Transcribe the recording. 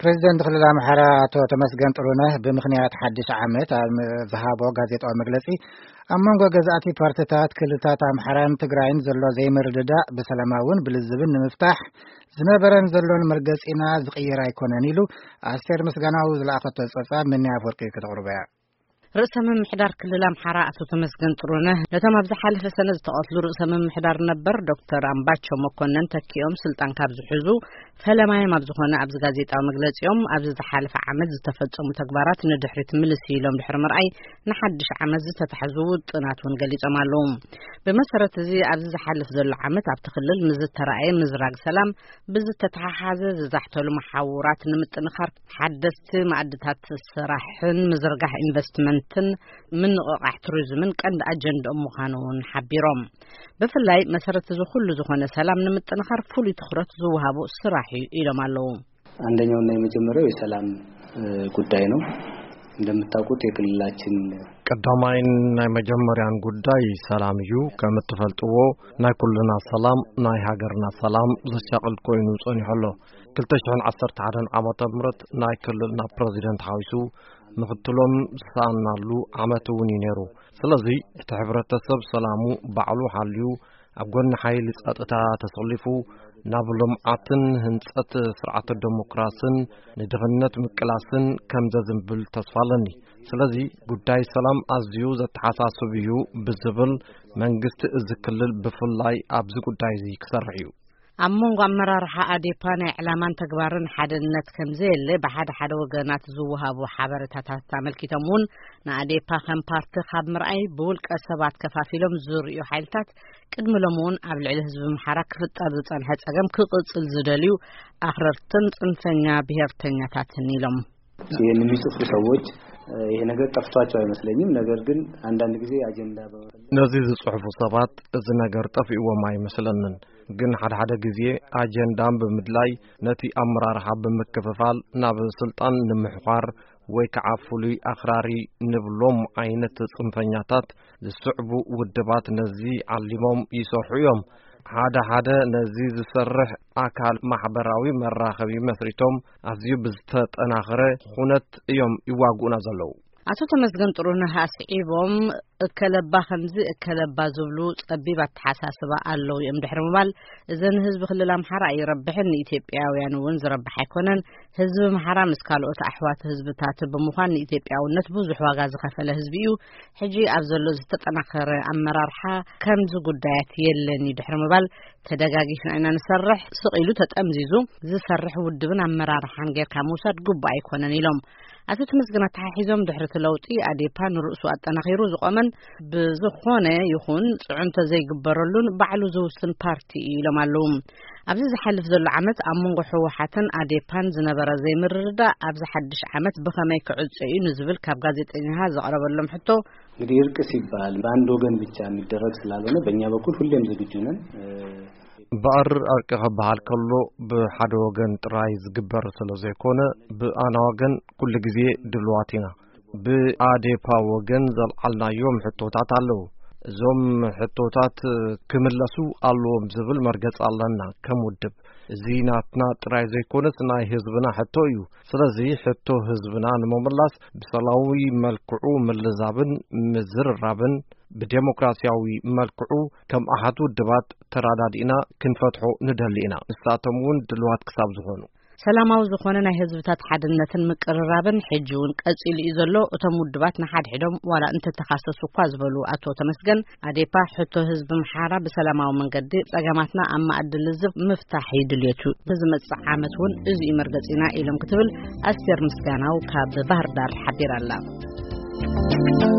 ፕሬዚደንት ክልል ኣምሓራ ኣቶ ተመስገን ጥሩነህ ብምኽንያት ሓድሽ ዓመት ኣብ ዝሃቦ ጋዜጣዊ መግለጺ፣ ኣብ መንጎ ገዛእቲ ፓርትታት ክልላት ኣምሓራን ትግራይን ዘሎ ዘይምርድዳእ ብሰላማውን ብልዝብን ንምፍታሕ ዝነበረን ዘሎን መርገጺና ዝቕይር ኣይኮነን ኢሉ። ኣስቴር ምስጋናው ዝለኣኸቶ ጸብጻብ ምንያ ኣፈወርቂ ከተቕርቦ እያ። ርእሰ ምምሕዳር ክልል ኣምሓራ ኣቶ ተመስገን ጥሩነህ ነቶም ኣብ ዝሓለፈ ሰነ ዝተቐትሉ ርእሰ ምምሕዳር ነበር ዶክተር ኣምባቸው መኮነን ተኪኦም ስልጣን ካብ ዝሕዙ ፈለማዮም ኣብ ዝኾነ ኣብዚ ጋዜጣዊ መግለጺኦም፣ ኣብዚ ዝሓለፈ ዓመት ዝተፈጸሙ ተግባራት ንድሕሪት ምልስ ኢሎም ድሕሪ ምርኣይ፣ ንሓድሽ ዓመት ዝተታሕዙ ውጥናት እውን ገሊጾም ኣለዉ። ብመሰረት እዚ፣ ኣብዚ ዝሓልፍ ዘሎ ዓመት ኣብቲ ክልል ምስ ዝተራእየ ምዝራግ ሰላም ብዝተተሓሓዘ ዝዛሕተሉ መሓውራት ንምጥንኻር ሓደስቲ ማዕድታት ስራሕን ምዝርጋሕ ኢንቨስትመንትን ምንቕቓሕ ቱሪዝምን ቀንዲ ኣጀንድኦም ምዃኑ እውን ሓቢሮም። ብፍላይ መሰረት እዚ ኩሉ ዝኾነ ሰላም ንምጥንኻር ፍሉይ ትኹረት ዝወሃቦ ስራሕ እዩ ኢሎም ኣለዉ። አንደኛውና የመጀመሪያው የሰላም፣ እ፣ ጉዳይ ነው። እንደምታውቁት የክልላችን ቀዳማይን ናይ መጀመርያን ጉዳይ ሰላም እዩ። ከም እትፈልጥዎ፣ ናይ ኩልና ሰላም፣ ናይ ሃገርና ሰላም ዘሻቕል ኮይኑ ጸኒሑ ኣሎ። ክልተ ሽሕን ዓሰርተ ሓደን ዓመተ ምህረት ናይ ክልልና ፕረዚደንት ሓዊሱ ምኽትሎም ዝሰኣናሉ ዓመት እውን እዩ ነይሩ። ስለዚ፣ እቲ ሕብረተሰብ ሰላሙ ባዕሉ ሓልዩ ኣብ ጎኒ ሓይሊ ጸጥታ ተሰሊፉ ናብ ልምዓትን ህንጸት ስርዓተ ዴሞክራስን ንድኽነት ምቅላስን ከም ዘዝንብል ተስፋ ኣለኒ። ስለዚ፣ ጉዳይ ሰላም ኣዝዩ ዘተሓሳስብ እዩ ብዝብል፣ መንግስቲ እዚ ክልል ብፍላይ ኣብዚ ጉዳይ እዚ ክሰርሕ እዩ። ኣብ መንጎ ኣመራርሓ ኣዴፓ ናይ ዕላማን ተግባርን ሓድነት ከም ዘየለ ብሓደ ሓደ ወገናት ዝወሃቡ ሓበሬታታት ኣመልኪቶም እውን፣ ንኣዴፓ ከም ፓርቲ ካብ ምርኣይ ብውልቀ ሰባት ከፋፊሎም ዝርእዩ ሓይልታት ቅድሚ ሎሚ እውን ኣብ ልዕሊ ህዝቢ ኣምሓራ ክፍጠር ዝጸንሐ ጸገም ክቕጽል ዝደልዩ ኣኽረርትን ጽንፈኛ ብሄርተኛታትን ኢሎም። ይህን የሚጽፉ ሰዎች፣ እ፣ ይሄ ነገር ጠፍቷቸው አይመስለኝም። ነገር ግን አንዳንድ ጊዜ አጀንዳ በመፈለግ ነዚ ዝጽሕፉ ሰባት እዚ ነገር ጠፊእዎም ኣይመስለንን። ግን ሓደ ሓደ ግዜ ኣጀንዳን ብምድላይ ነቲ ኣመራርሓ ብምክፍፋል ናብ ስልጣን ንምሕዃር ወይ ከዓ ፍሉይ ኣኽራሪ ንብሎም ዓይነት ጽንፈኛታት ዝስዕቡ ውድባት ነዚ ዓሊሞም ይሰርሑ እዮም። ሓደ ሓደ ነዚ ዝሰርሕ ኣካል ማሕበራዊ መራኸቢ መስሪቶም ኣዝዩ ብዝተጠናኸረ ኩነት እዮም ይዋግኡና ዘለዉ። ኣቶ ተመስገን ጥሩነህ ኣስዒቦም፣ እከለባ ከምዚ እከለባ ዝብሉ ጸቢብ ኣተሓሳስባ ኣለዉ እዮም ድሕሪ ምባል፣ እዘ ንህዝቢ ክልል ኣምሓራ ኣይረብሕን፣ ንኢትዮጵያውያን እውን ዝረብሕ ኣይኮነን። ህዝቢ ኣምሓራ ምስ ካልኦት ኣሕዋት ህዝብታት ብምዃን ንኢትዮጵያውነት ብዙሕ ዋጋ ዝኸፈለ ህዝቢ እዩ። ሕጂ ኣብ ዘሎ ዝተጠናኸረ ኣመራርሓ ከምዚ ጉዳያት የለን እዩ ድሕሪ ምባል፣ ተደጋጊፍና ኢና ንሰርሕ። ስቕ ኢሉ ተጠምዚዙ ዝሰርሕ ውድብን ኣመራርሓን ጌርካ ምውሳድ ግቡእ ኣይኮነን ኢሎም። ኣቶ ተመስገን ኣተሓሒዞም፣ ድሕሪ እቲ ለውጢ ኣዴፓ ንርእሱ ኣጠናኺሩ ዝቖመን ብዝኾነ ይኹን ጽዕንቶ ዘይግበረሉን ባዕሉ ዝውስን ፓርቲ እዩ ኢሎም ኣለዉ። ኣብዚ ዝሓልፍ ዘሎ ዓመት ኣብ መንጎ ህወሓትን ኣዴፓን ዝነበረ ዘይምርድዳእ ኣብዚ ሓድሽ ዓመት ብኸመይ ክዕጾ እዩ ንዝብል ካብ ጋዜጠኛታት ዘቕረበሎም ሕቶ፣ እንግዲህ እርቅ ሲባል በአንድ ወገን ብቻ የሚደረግ ስላልሆነ በእኛ በኩል ሁሌም ዝግጁ ነን። እ፣ በኣር እርቂ ክበሃል ከሎ ብሓደ ወገን ጥራይ ዝግበር ስለ ዘይኮነ፣ ብኣና ወገን ኩሉ ግዜ ድልዋት ኢና። ብኣዴፓ ወገን ዘልዓልናዮም ሕቶታት ኣለዉ። እዞም ሕቶታት ክምለሱ ኣለዎም ዝብል መርገጺ ኣለና ከም ውድብ። እዚ ናትና ጥራይ ዘይኮነስ ናይ ህዝብና ሕቶ እዩ። ስለዚ ሕቶ ህዝብና ንምምላስ ብሰላማዊ መልክዑ ምልዛብን ምዝርራብን ብዴሞክራሲያዊ መልክዑ ከም ኣሃት ውድባት ተራዳዲእና ክንፈትሖ ንደሊ ኢና። ንሳቶም እውን ድልዋት ክሳብ ዝኾኑ። ሰላማዊ ዝኾነ ናይ ህዝብታት ሓድነትን ምቅርራብን ሕጂ እውን ቀጺሉ እዩ ዘሎ። እቶም ውድባት ንሓድሕዶም ዋላ እንተተኻሰሱ እኳ ዝበሉ ኣቶ ተመስገን፣ ኣዴፓ ሕቶ ህዝቢ ኣምሓራ ብሰላማዊ መንገዲ ጸገማትና ኣብ ማእዲ ልዝብ ምፍታሕ እዩ ድልየቱ። ንዝመጽእ ዓመት እውን እዚ እዩ መርገጺና ኢሎም ክትብል ኣስቴር ምስጋናው ካብ ባህር ዳር ሓቢራ ኣላ።